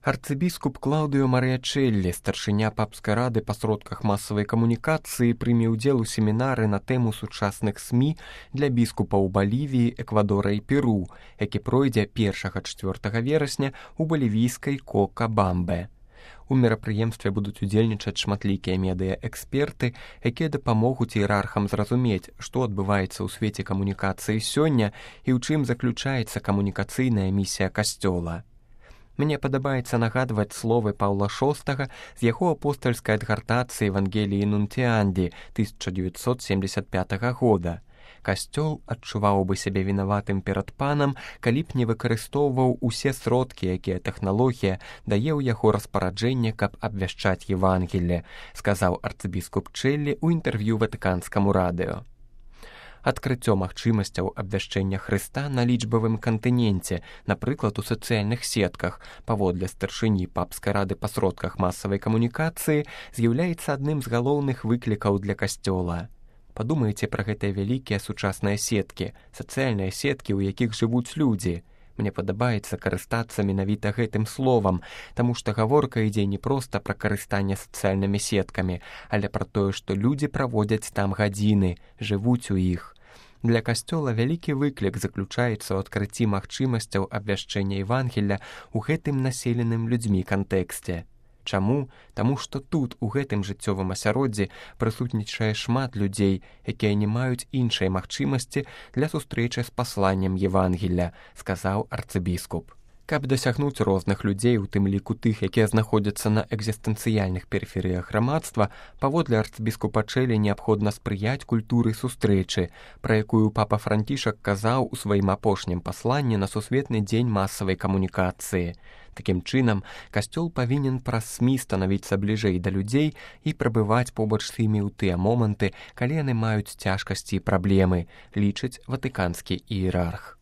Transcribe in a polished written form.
Арцыбіскуп Клаўдыо Марыячэллі, старшыня папскай рады па сродках масавай камунікацыі, прыме ўдзел у семінары на тэму сучасных СМІ для біскупаў Балівіі, Эквадора і Перу, які пройдзе 1-4 верасня ў балівійскай Кокабамбе. У мерапрыемстве будуць удзельнічаць шматлікія медыа-эксперты, якія дапамогуць іерархам зразумець, што адбываецца ў свеце камунікацыі сёння і ў чым заключаецца камунікацыйная місія Касцёла. Мне падабаецца нагадваць словы Паўла VI з яго апостальскай адгартацыі Евангеліі Нунціанді 1975 года. Касцёл адчуваў бы сябе вінаватым перад панам, калі б не выкарыстоўваў усе сродкі, якія тэхналогія дае ў яго распараджэнне, каб абвяшчаць Евангелле, сказаў арцыбіскуп Чэллі ў інтэрв'ю Ватыканскаму радыё. Адкрыццё магчымасцяў абвяшчэння Хрыста на лічбавым кантыненце, напрыклад, у сацыяльных сетках, паводле старшыні папскай рады па сродках масавай камунікацыі, з'яўляецца адным з галоўных выклікаў для Касцёла. Падумайце пра гэтыя вялікія сучасныя сеткі, сацыяльныя сеткі, у якіх жывуць людзі. Мне падабаецца карыстацца менавіта гэтым словам, таму што гаворка ідзе не проста пра карыстанне сацыяльнымі сеткамі, але пра тое, што людзі праводзяць там гадзіны, жывуць у іх. Для Касцёла вялікі выклік заключаецца ў адкрыцці магчымасцяў абвяшчэння Евангелля ў гэтым населеным людзьмі кантэксце. Чаму? Таму што тут, у гэтым жыццёвым асяроддзі, прысутнічае шмат людзей, якія не маюць іншай магчымасці для сустрэчы з пасланнем Евангелля, сказаў арцыбіскуп. Каб дасягнуць розных людзей, у тым ліку тых, якія знаходзяцца на экзістэнцыяльных перыферыях грамадства, паводле арцыбіскупа Чэллі неабходна спрыяць культуры сустрэчы, пра якую папа Францішак казаў у сваім апошнім пасланні на Сусветны дзень масавай камунікацыі. Такім чынам, Касцёл павінен праз СМІ станавіцца бліжэй да людзей і прабываць побач з імі ў тыя моманты, калі яны маюць цяжкасці і праблемы, лічыць ватыканскі іерарх.